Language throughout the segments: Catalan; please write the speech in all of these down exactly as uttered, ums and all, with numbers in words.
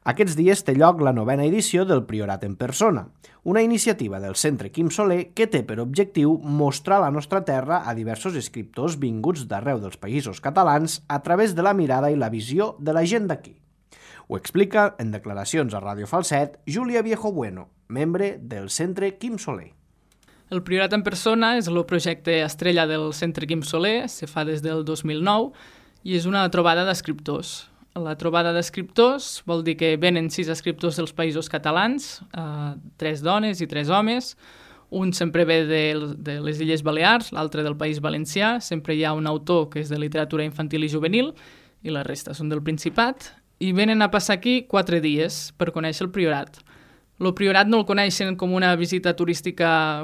Aquests dies té lloc la novena edició del Priorat en Persona, una iniciativa del Centre Quim Soler que té per objectiu mostrar la nostra terra a diversos escriptors vinguts d'arreu dels països catalans a través de la mirada i la visió de la gent d'aquí. Ho explica en declaracions a Ràdio Falset Júlia Viejo Bueno, membre del Centre Quim Soler. El Priorat en Persona és el projecte estrella del Centre Quim Soler, se fa des del dos mil nou i és una trobada d'escriptors. La trobada d'escriptors vol dir que venen sis escriptors dels països catalans, eh, tres dones i tres homes. Un sempre ve de, de les Illes Balears, l'altre del País Valencià. Sempre hi ha un autor que és de literatura infantil i juvenil i la resta són del Principat. I venen a passar aquí quatre dies per conèixer el Priorat. El Priorat no el coneixen com una visita turística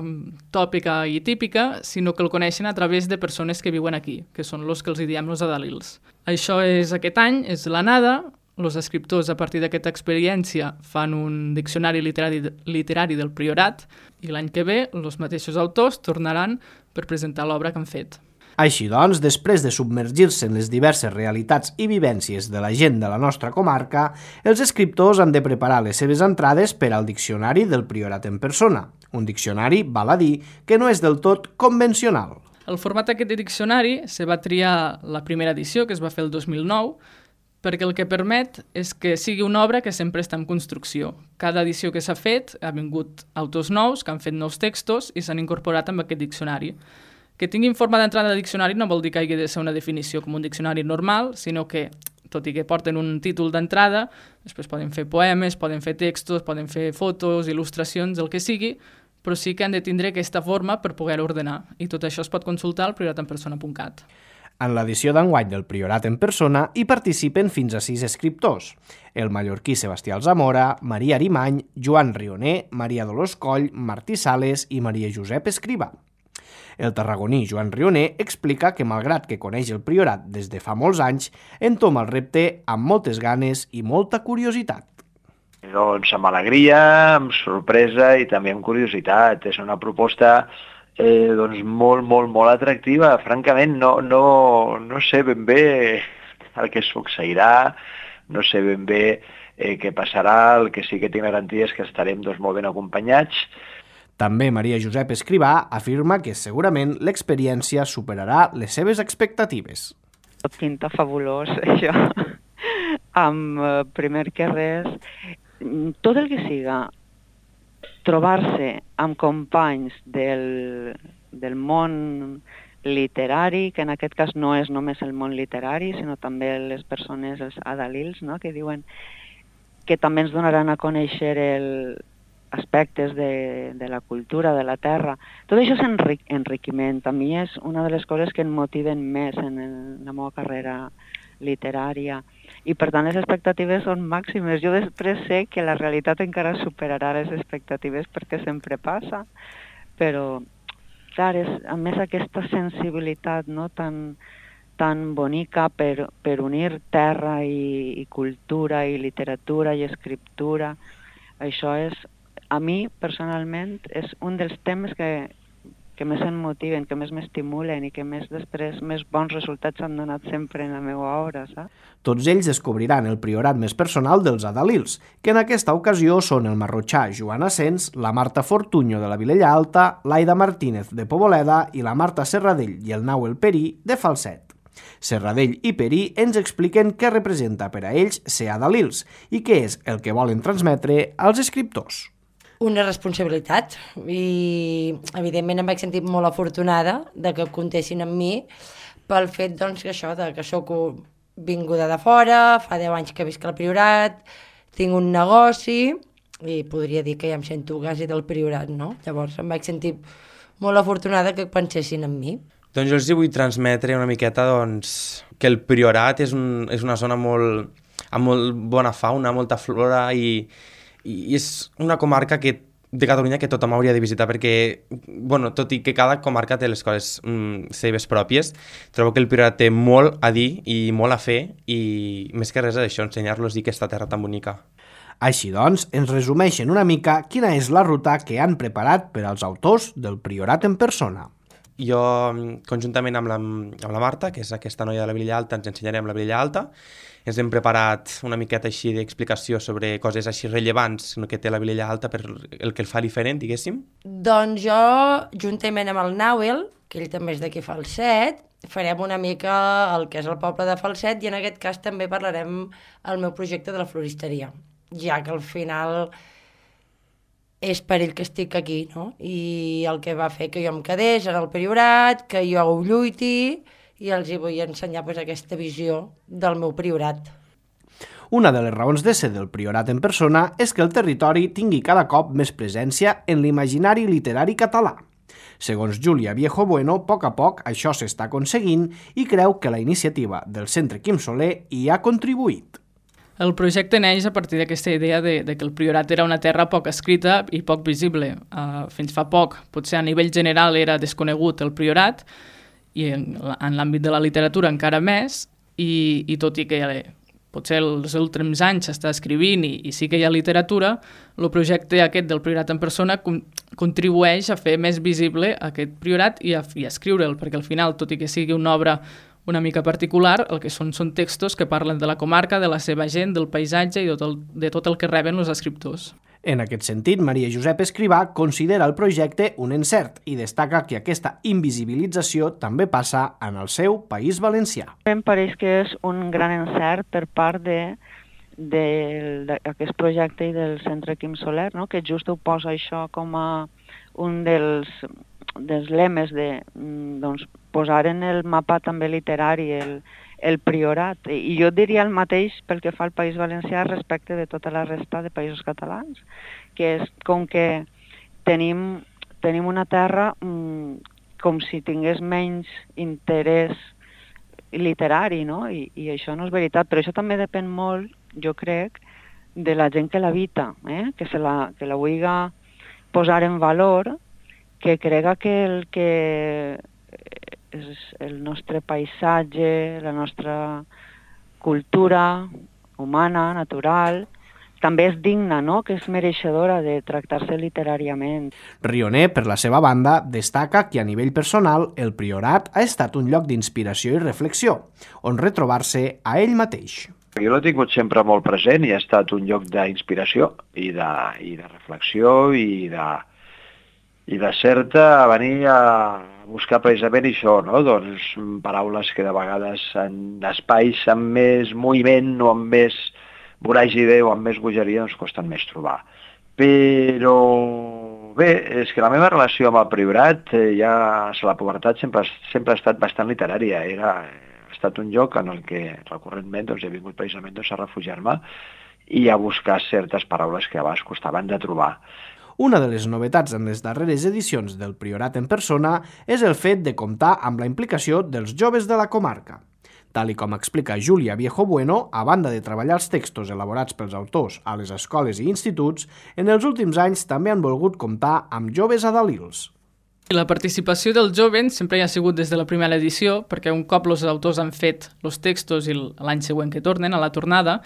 tòpica i típica, sinó que el coneixen a través de persones que viuen aquí, que són els que els diem els adalils. Això és aquest any, és l'anada. Els escriptors, a partir d'aquesta experiència, fan un diccionari literari, literari del Priorat i l'any que ve els mateixos autors tornaran per presentar l'obra que han fet. Així doncs, després de submergir-se en les diverses realitats i vivències de la gent de la nostra comarca, els escriptors han de preparar les seves entrades per al diccionari del Priorat en Persona, un diccionari, val a dir, que no és del tot convencional. El format aquest de diccionari se va triar la primera edició, que es va fer el dos mil nou, perquè el que permet és que sigui una obra que sempre està en construcció. Cada edició que s'ha fet ha vingut autors nous que han fet nous textos i s'han incorporat amb aquest diccionari. Que tinguin forma d'entrada de diccionari no vol dir que hagi de ser una definició com un diccionari normal, sinó que, tot i que porten un títol d'entrada, després poden fer poemes, poden fer textos, poden fer fotos, il·lustracions, el que sigui, però sí que han de tindre aquesta forma per poder ordenar. I tot això es pot consultar al priorat en persona punt cat. En l'edició d'enguany del Priorat en Persona hi participen fins a sis escriptors: el mallorquí Sebastià Alzamora, Maria Arimany, Joan Rioner, Maria Dolors Coll, Martí Sales i Maria Josep Escrivà. El tarragoní Joan Rioner explica que, malgrat que coneix el Priorat des de fa molts anys, entoma el repte amb moltes ganes i molta curiositat. Doncs amb alegria, amb sorpresa i també amb curiositat. És una proposta eh, doncs molt, molt, molt atractiva. Francament, no, no, no sé ben bé el que succeirà, no sé ben bé eh, què passarà. El que sí que tinc garantia és que estarem doncs, molt ben acompanyats. També Maria Josep Escrivà afirma que segurament l'experiència superarà les seves expectatives. Pinta fabulós, això. Amb, primer que res, tot el que siga trobar-se amb companys del, del món literari, que en aquest cas no és només el món literari, sinó també les persones, els adalils, no?, que diuen que també ens donaran a conèixer el aspectes de, de la cultura, de la terra. Tot això és enric, enriquiment. A mi és una de les coses que em motiven més en, el, en la meva carrera literària. I per tant les expectatives són màximes. Jo després sé que la realitat encara superarà les expectatives perquè sempre passa, però clar, és, a més aquesta sensibilitat, no, tan, tan bonica per, per unir terra i, i cultura i literatura i escriptura, això és, a mi, personalment, és un dels temes que, que més em motiven, que més m'estimulen i que més després més bons resultats han donat sempre en la meva obra, saps? Tots ells descobriran el priorat més personal dels adalils, que en aquesta ocasió són el marrotxà Joan Asens, la Marta Fortuño de la Vilella Alta, l'Aida Martínez de Poboleda i la Marta Serradell i el Nauel Perí de Falset. Serradell i Perí ens expliquen què representa per a ells ser adalils i què és el que volen transmetre als escriptors. Una responsabilitat i evidentment em vaig sentir molt afortunada de que comptessin amb mi pel fet doncs, que això, de que soc vinguda de fora, fa deu anys que visc al Priorat, tinc un negoci i podria dir que ja em sento quasi del Priorat, no? Llavors em vaig sentir molt afortunada que pensessin en mi. Doncs jo els vull transmetre una miqueta doncs, que el Priorat és, un, és una zona molt, amb molt bona fauna, molta flora i i és una comarca que, de Catalunya que tothom hauria de visitar perquè, bueno, tot i que cada comarca té les coses mm, seves pròpies, trobo que el Priorat té molt a dir i molt a fer i més que res és això, ensenyar-los a dir aquesta terra tan bonica. Així doncs, ens resumeixen una mica quina és la ruta que han preparat per als autors del Priorat en Persona. jo, conjuntament amb la, amb la Marta, que és aquesta noia de la Vilella Alta, ens ensenyarem la Vilella Alta. Ens hem preparat una miqueta així d'explicació sobre coses així rellevants que té la Vilella Alta per el que el fa diferent, diguéssim. Doncs jo, juntament amb el Nauel, que ell també és d'aquí Falset, farem una mica el que és el poble de Falset i en aquest cas també parlarem el meu projecte de la floristeria, ja que al final és per ell que estic aquí, no? I el que va fer que jo em quedés en el Priorat, que jo ho lluiti i els hi vull ensenyar pues, aquesta visió del meu Priorat. Una de les raons de ser del Priorat en persona és que el territori tingui cada cop més presència en l'imaginari literari català. Segons Júlia Viejo Bueno, a poc a poc això s'està aconseguint i creu que la iniciativa del Centre Quim Soler hi ha contribuït. El projecte neix a partir d'aquesta idea de, de que el Priorat era una terra poc escrita i poc visible. Uh, fins fa poc, potser a nivell general era desconegut el Priorat, i en, en l'àmbit de la literatura encara més, i, i tot i que potser els últims anys s'està escrivint i, i sí que hi ha literatura, el projecte aquest del Priorat en persona com, contribueix a fer més visible aquest Priorat i a, i a escriure'l, perquè al final, tot i que sigui una obra una mica particular, el que són són textos que parlen de la comarca, de la seva gent, del paisatge i de tot el, de tot el que reben els escriptors. En aquest sentit, Maria Josep Escrivà considera el projecte un encert i destaca que aquesta invisibilització també passa en el seu País Valencià. Em pareix que és un gran encert per part de d'aquest projecte i del Centre Quim Soler, no? Que just ho posa això com a un dels, dels lemes de doncs, posar en el mapa també literari el, el Priorat. I jo diria el mateix pel que fa al País Valencià respecte de tota la resta de països catalans, que és com que tenim, tenim una terra mmm, com si tingués menys interès literari, no? I, i això no és veritat, però això també depèn molt, jo crec, de la gent que l'habita, eh? que, se la, que la vulgui posar en valor, que crega que el que és el nostre paisatge, la nostra cultura humana, natural, també és digna, no? Que és mereixedora de tractar-se literàriament. Rioner, per la seva banda, destaca que a nivell personal el Priorat ha estat un lloc d'inspiració i reflexió, on retrobar-se a ell mateix. Jo l'he tingut sempre molt present i ha estat un lloc d'inspiració i de, i de reflexió i de, i de certa a venir a buscar precisament això, no? Doncs paraules que de vegades en espais amb més moviment o amb més voràgide o amb més bogeria doncs costen més trobar. Però bé, és que la meva relació amb el Priorat eh, ja a la pubertat sempre, sempre ha estat bastant literària. Era, ha estat un lloc en el que recurrentment doncs, he vingut precisament doncs, a refugiar-me i a buscar certes paraules que abans costaven de trobar. Una de les novetats en les darreres edicions del Priorat en persona és el fet de comptar amb la implicació dels joves de la comarca. Tal i com explica Júlia Viejo Bueno, a banda de treballar els textos elaborats pels autors a les escoles i instituts, en els últims anys també han volgut comptar amb joves adalils. La participació dels jovens sempre hi ha sigut des de la primera edició, perquè un cop els autors han fet els textos i l'any següent que tornen, a la tornada,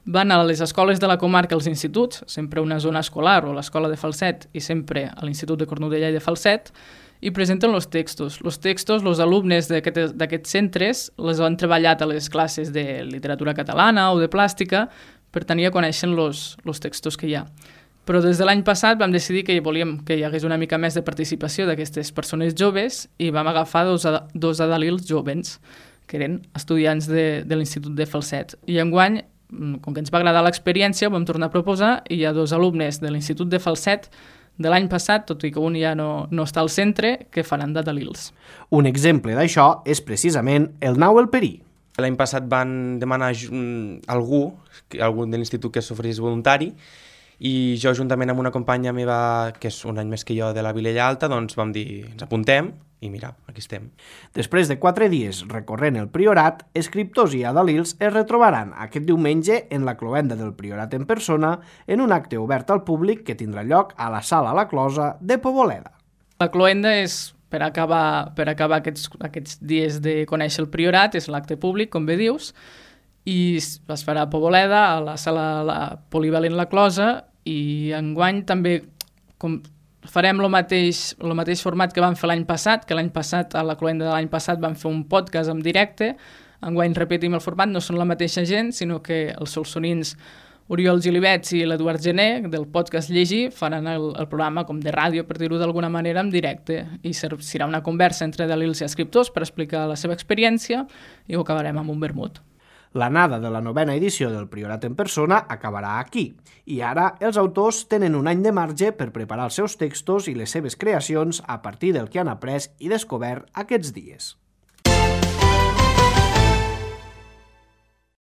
van a les escoles de la comarca, als instituts, sempre una zona escolar o l'escola de Falset i sempre a l'Institut de Cornudella i de Falset, i presenten els textos. Els textos, els alumnes d'aquests centres les han treballat a les classes de literatura catalana o de plàstica per tenir a conèixer els textos que hi ha. Però des de l'any passat vam decidir que volíem que hi hagués una mica més de participació d'aquestes persones joves i vam agafar dos, dos adalils jovens, que eren estudiants de, de l'Institut de Falset. I enguany, com que ens va agradar l'experiència, ho vam tornar a proposar i hi ha dos alumnes de l'Institut de Falset de l'any passat, tot i que un ja no, no està al centre, que faran d'adalils. Un exemple d'això és precisament el Nauel Perí. L'any passat van demanar algú, algú de l'institut que s'oferís voluntari, i jo juntament amb una companya meva, que és un any més que jo de la Vilella Alta, doncs vam dir, ens apuntem, i mira, aquí estem. Després de quatre dies recorrent el Priorat, escriptors i adalils es retrobaran aquest diumenge en la cloenda del Priorat en persona en un acte obert al públic que tindrà lloc a la Sala La Closa de Poboleda. La cloenda és per acabar, per acabar aquests, aquests dies de conèixer el Priorat, és l'acte públic, com bé dius, i es farà a Poboleda, a la Sala la Polivalent La Closa, i enguany també com Farem el mateix, el mateix format que vam fer l'any passat, que l'any passat, a la cloenda de l'any passat, vam fer un podcast en directe. Enguany repetim el format, no són la mateixa gent, sinó que els solsonins Oriol Gilibets i l'Eduard Gené, del podcast Llegir, faran el, el programa com de ràdio, per dir-ho d'alguna manera, en directe. I serà una conversa entre delils i escriptors per explicar la seva experiència i ho acabarem amb un vermut. L'anada de la novena edició del Priorat en persona acabarà aquí, i ara els autors tenen un any de marge per preparar els seus textos i les seves creacions a partir del que han après i descobert aquests dies.